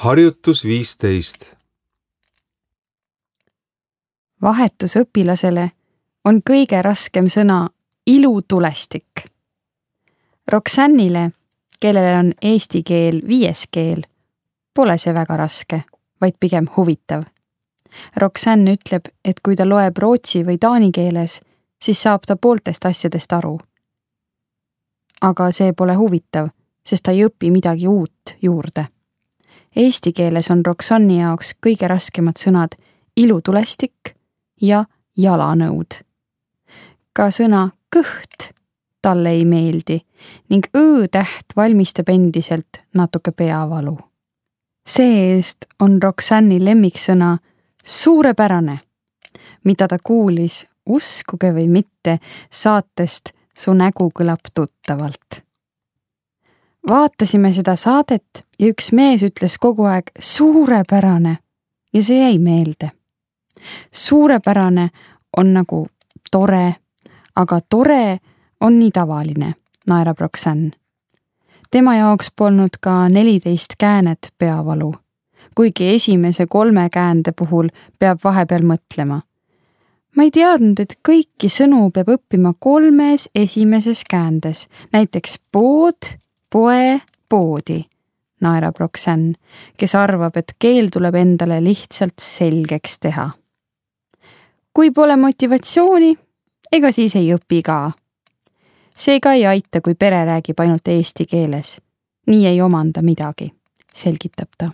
Harjutus 15. Vahetusõpilasele on kõige raskem sõna ilutulestik. Roxannile, kellele on eesti keel 5. keel, pole see väga raske, vaid pigem huvitav. Roxanne ütleb, et kui ta loeb rootsi või taani keeles, siis saab ta pooltest asjadest aru. Aga see pole huvitav, sest ta ei õpi midagi uut juurde. Eesti keeles on Roxanne'i jaoks kõige raskemad sõnad ilutulestik ja jalanõud. Ka sõna kõht talle ei meeldi ning õ-täht valmistab endiselt natuke peavalu. See-eest on Roxanne'i lemmiksõna suurepärane, mida ta kuulis, uskuge või mitte, saatest Su nägu kõlab tuttavalt. Vaatasime seda saadet ja üks mees ütles kogu aeg suurepärane ja see jäi meelde. Suurepärane on nagu tore, aga tore on nii tavaline, naerab Roxanne. Tema jaoks polnud ka 14 käänet peavalu, kuigi esimese 3 käände puhul peab vahepeal mõtlema. Ma ei teadnud, et kõiki sõnu peab õppima 3 esimeses käändes, näiteks pood, poe, poodi, naerab Roxanne, kes arvab, et keel tuleb endale lihtsalt selgeks teha. Kui pole motivatsiooni, ega siis ei õpi ka. Seega ei aita, kui pere räägib ainult eesti keeles. Nii ei omanda midagi, selgitab ta.